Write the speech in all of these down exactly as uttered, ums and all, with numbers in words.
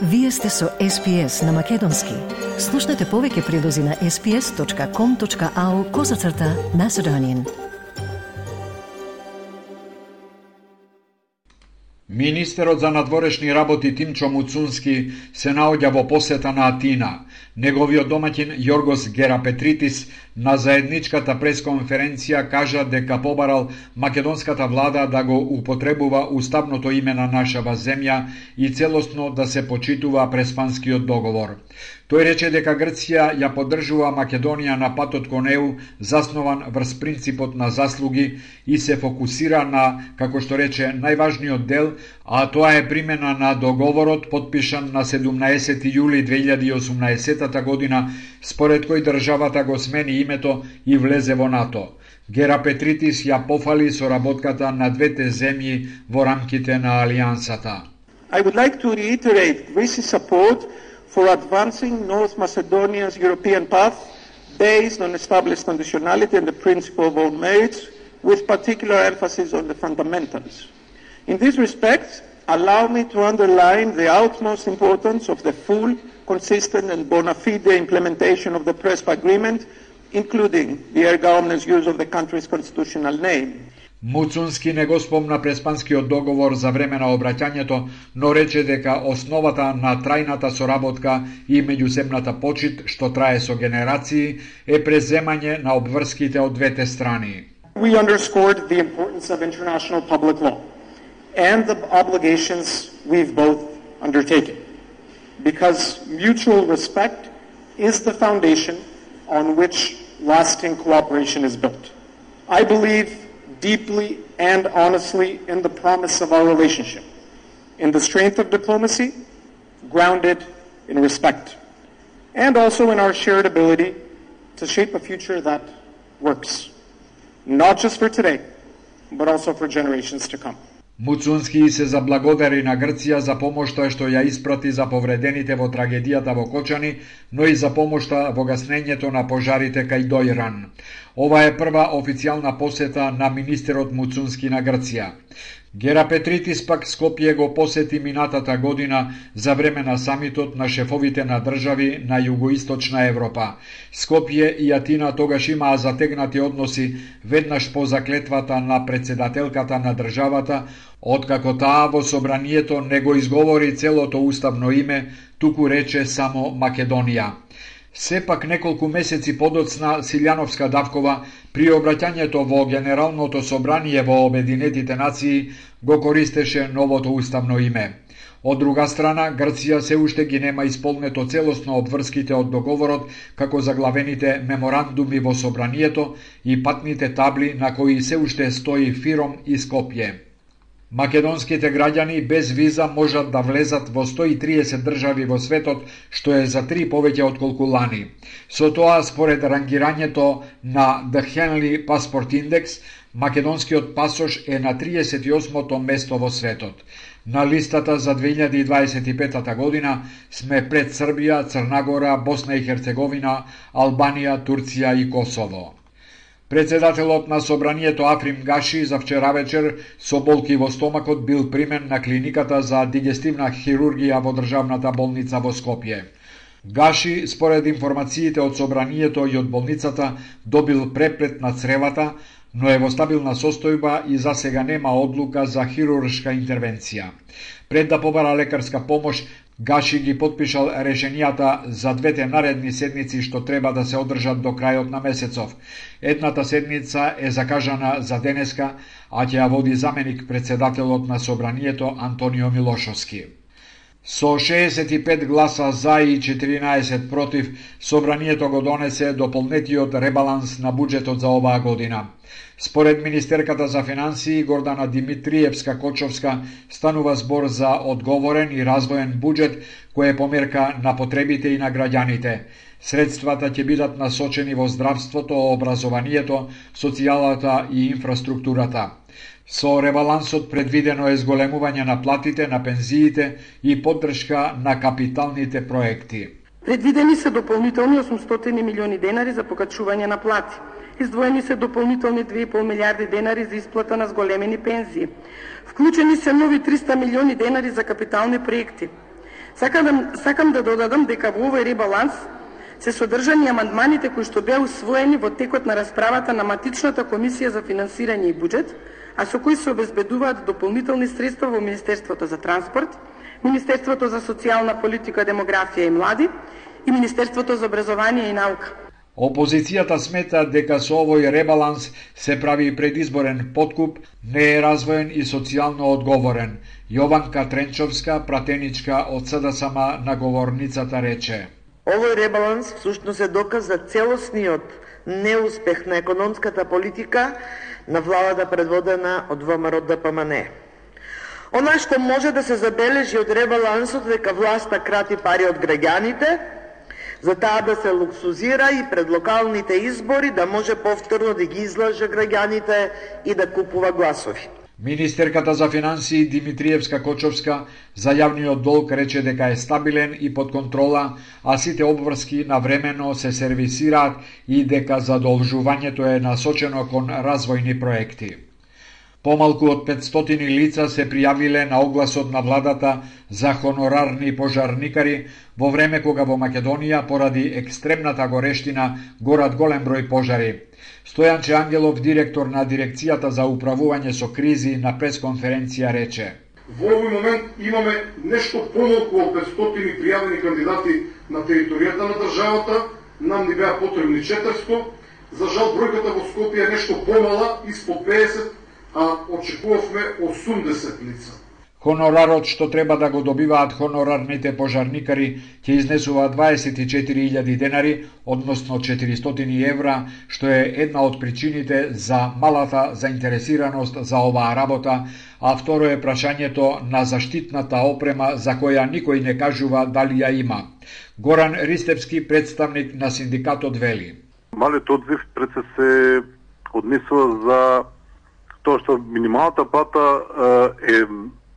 Вие сте со Ес Пи Ес на Македонски. Слушнете повеќе прилози на ес пи ес точка ком точка ау козацрта Macedonian. Министерот за надворешни работи Тимчо Муцунски се наоѓа во посета на Атина. Неговиот домаќин Јоргос Герапетритис на заедничката пресконференција кажа дека побарал македонската влада да го употребува уставното име на нашава земја и целосно да се почитува Преспанскиот договор. Тој рече дека Грција ја поддржува Македонија на патот кон Е У, заснован врз принципот на заслуги и се фокусира на, како што рече, најважниот дел, а тоа е примена на договорот подпишан на седумнаесети јули две илјади и осумнаесета година, според кој државата го смени името и влезе во НАТО. Герапетритис ја пофали соработката на двете земји во рамките на алијансата. I would like to reiterate Greece's support for advancing North Macedonia's European path based on established conditionality and the principle of own merits, with particular emphasis on the fundamentals. In this respect, allow me to underline the utmost importance of the full, consistent and bona fide implementation of the Prespa Agreement, including the erga omnes use of the country's constitutional name. Муцунски не го спомна Преспанскиот договор за време на обраќањето, но рече дека основата на трајната соработка и меѓусебната почит, што трае со генерации, е преземање на обврските од двете страни. We underscored the importance of international public law and the obligations we've both undertaken, because mutual respect is the foundation on which lasting cooperation is built. I believe deeply and honestly in the promise of our relationship, in the strength of diplomacy, grounded in respect, and also in our shared ability to shape a future that works, not just for today, but also for generations to come. Муцунски се заблагодари на Грција за помошта што ја испрати за повредените во трагедијата во Кочани, но и за помошта во гаснењето на пожарите кај Дојран. Ова е прва официјална посета на министерот Муцунски на Грција. Герапетритис пак Скопје го посети минатата година за време на самитот на шефовите на држави на југоисточна Европа. Скопје и Атина тогаш имаа затегнати односи веднаш по заклетвата на председателката на државата, откако таа во собранието не го изговори целото уставно име, туку рече само Македонија. Сепак неколку месеци подоцна Силјановска Давкова при обраќањето во Генералното собрание во Обединетите нации го користеше новото уставно име. Од друга страна, Грција се уште ги нема исполнето целосно обврските од договорот, како заглавените меморандуми во собранието и патните табли на кои се уште стои Фиром и Скопје. Македонските граѓани без виза можат да влезат во сто и триесет држави во светот, што е за три повеќе отколку лани. Со тоа, според рангирањето на The Henley Passport Index, македонскиот пасош е на триесет и осмото место во светот. На листата за две илјади и дваесет и пета година сме пред Србија, Црна Гора, Босна и Херцеговина, Албанија, Турција и Косово. Председателот на собранието Африм Гаши за вчера вечер со болки во стомакот бил примен на клиниката за дигестивна хирургија во државната болница во Скопје. Гаши, според информациите од собранието и од болницата, добил преплет на цревата, но е во стабилна состојба и за сега нема одлука за хируршка интервенција. Пред да побара лекарска помош, Гаши ги подпишал решенијата за двете наредни седници што треба да се одржат до крајот на месецов. Едната седница е закажана за денеска, а ќе ја води заменик председателот на собранието Антонио Милошовски. Со шеесет и пет гласа за и четиринаесет против, собранието го донесе дополнетиот ребаланс на буџетот за оваа година. Според министерката за финансии Гордана Димитриевска-Кочовска, станува збор за одговорен и развоен буџет кој е померка на потребите и на граѓаните. Средствата ќе бидат насочени во здравството, образованието, социјалата и инфраструктурата. Со ребалансот предвидено е зголемување на платите, на пензиите и поддршка на капиталните проекти. Предвидени се дополнителни осумстотини милиони денари за покачување на плати. Издвоени се дополнителни две и пол милиарди денари за исплата на зголемени пензии. Вклучени се нови триста милиони денари за капитални проекти. Сакам, сакам да додадам дека во овој ребаланс се содржани амандманите кои што беа усвоени во текот на расправата на матичната комисија за финансирање и буџет, а со кои се обезбедуваат дополнителни средства во Министерството за транспорт, Министерството за социјална политика, демографија и млади и Министерството за образование и наука. Опозицијата смета дека со овој ребаланс се прави предизборен подкуп, не е развоен и социјално одговорен. Јованка Тренчовска, пратеничка од СДСМ на говорницата, рече: Овој ребаланс всушност е доказ за целосниот неуспех на економската политика на владата предводена од ВМРО Д П М Н. Она што може да се забележи од ребалансот дека власта крати пари од граѓаните, за таа да се луксузира и пред локалните избори да може повторно да ги излаже граѓаните и да купува гласови. Министерката за финансии Димитриевска Кочовска за јавниот долг рече дека е стабилен и под контрола, а сите обврски навремено се сервисираат и дека задолжувањето е насочено кон развојни проекти. Помалку од петстотини лица се пријавиле на огласот на владата за хонорарни пожарникари во време кога во Македонија поради екстремната горештина горат голем број пожари. Стојанче Ангелов, директор на дирекцијата за управување со кризи, на пресконференција рече: Во овој момент имаме нешто помалку од петстотини пријавени кандидати на територијата на државата, нам ни беа потребни четиристо, за жал бројката во Скопје е нешто помала, испод педесет, а очекувавме осумдесет лица. Хонорарот што треба да го добиваат хонорарните пожарникари ќе изнесува дваесет и четири илјади денари, односно четиристотини евра, што е една од причините за малата заинтересираност за оваа работа, а второ е прашањето на заштитната опрема за која никој не кажува дали ја има. Горан Ристевски, представник на синдикатот, вели: Малиот одзив пред се се однесува за тоа што минималната плата е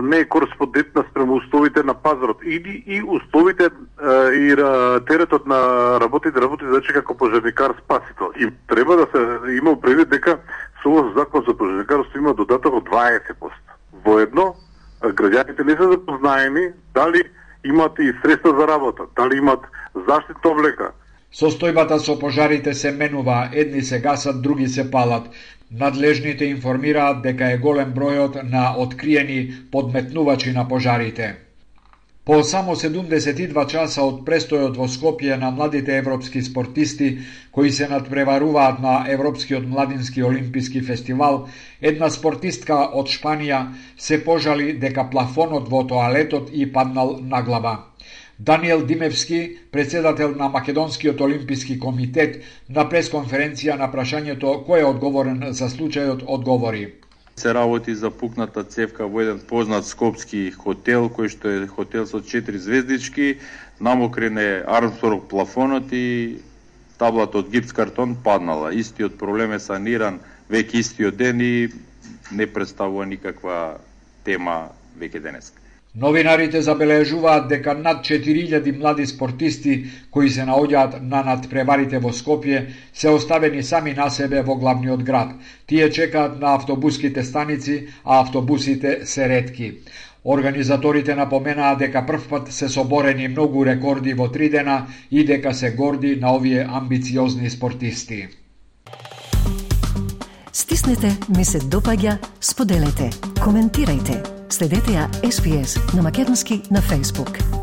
не е кореспондентна спрема условите на пазарот или и условите и теретот на работите работи значи како пожарникар спасител. И треба да се има предвид дека со овој закон за пожарникарство има додаток од дваесет проценти. Воедно граѓаните не се запознаени дали имат и средства за работа, дали имат заштитна облека. Состојбата со пожарите се менува, едни се гасат, други се палат. Надлежните информираат дека е голем бројот на откриени подметнувачи на пожарите. По само седумдесет и два часа од престојот во Скопје на младите европски спортисти кои се надпреваруваат на Европскиот младински олимписки фестивал, една спортистка од Шпанија се пожали дека плафонот во тоалетот и паднал на глава. Даниел Димевски, председател на Македонскиот олимписки комитет, на пресконференција на прашањето кој е одговорен за случајот, одговори: Се работи за пукната цевка во еден познат скопски хотел, кој што е хотел со четири звездички, намокрен е Армстронг плафонот и таблата од гипс картон паднала. Истиот проблем е саниран веќе истиот ден и не представува никаква тема веќе денеска. Новинарите забележуваат дека над четири илјади млади спортисти кои се наоѓаат на надпреварите во Скопје се оставени сами на себе во главниот град. Тие чекаат на автобуските станици, а автобусите се ретки. Организаторите напоменаа дека првпат се соборени многу рекорди во три дена и дека се горди на овие амбициозни спортисти. Стиснете, ми се допаѓа, споделете, коментирајте. Следете ја Ес Би Ес на македонски на Facebook.